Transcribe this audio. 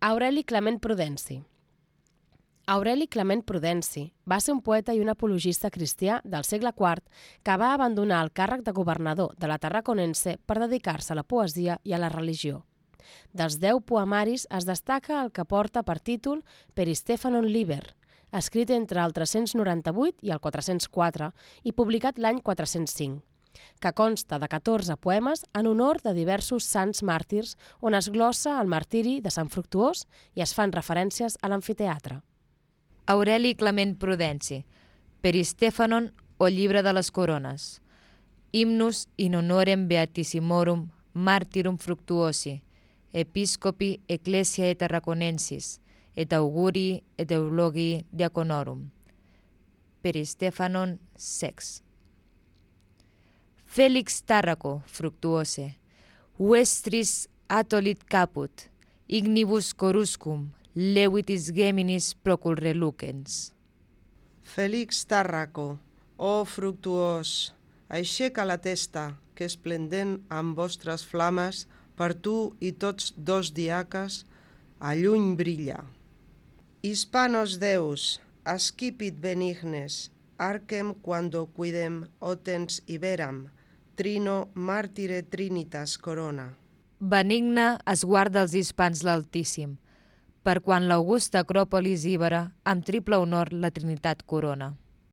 Aureli Clement Prudenci. Aureli Clement Prudenci va ser un poeta i un apologista cristià del segle IV que va abandonar el càrrec de governador de la Tarraconense per dedicar-se a la poesia i a la religió. Dels 10 poemaris es destaca el que porta per títol Peristéphanon Liber, escrit entre el 398 i el 404 i publicat l'any 405, que consta de 14 poemes en honor de diversos sants màrtirs on es glossa el martiri de Sant Fructuós i es fan referències a l'amfiteatre. Aureli Clement Prudenci, Peristéphanon o Llibre de les Corones, Hymnus in honorem beatissimorum martyrum fructuosi, episcopi ecclesiae tarraconensis, et augurii et eulogii diaconorum. Peristéphanon sex. Felix Tarraco fructuose, vestris atolit caput, ignibus coruscum, levitis geminis procul relucens. Félix Tarraco, oh fructuós, aixeca la testa, que esplendent amb vostres flames, per tu i tots dos diaques, a lluny brilla. Hispanos Deus, ascipit benignes, arcem quando quidem otens iberam, trino martire trinitas corona. Benigne es guarda els hispans l'Altíssim, per quan l'augusta acròpolis íbera amb triple honor la Trinitat corona.